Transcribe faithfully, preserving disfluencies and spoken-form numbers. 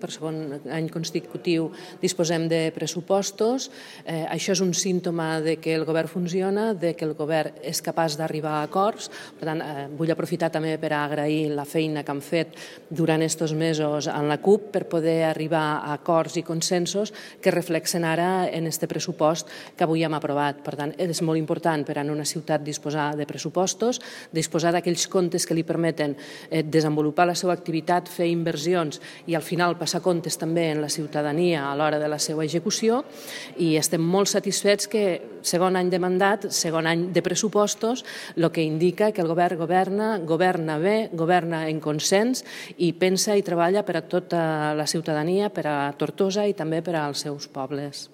Per segon any consecutiu disposem de pressupostos. Eh, això és un símptoma de que el govern funciona, de que el govern és capaç d'arribar a acords. Per tant, eh, vull aprofitar també per agrair la feina que han fet durant aquests mesos en la CUP per poder arribar a acords i consensos que reflexen ara en aquest pressupost que avui hem aprovat. Per tant, és molt important per a una ciutat disposar de pressupostos, disposar d'aquells comptes que li permeten eh, desenvolupar la seva activitat, fer inversions i al final passar comptes també en la ciutadania a l'hora de la seva execució, i estem molt satisfets que segon any de mandat, segon any de pressupostos, el que indica que el govern governa, governa bé, governa en consens i pensa i treballa per a tota la ciutadania, per a Tortosa i també per als seus pobles.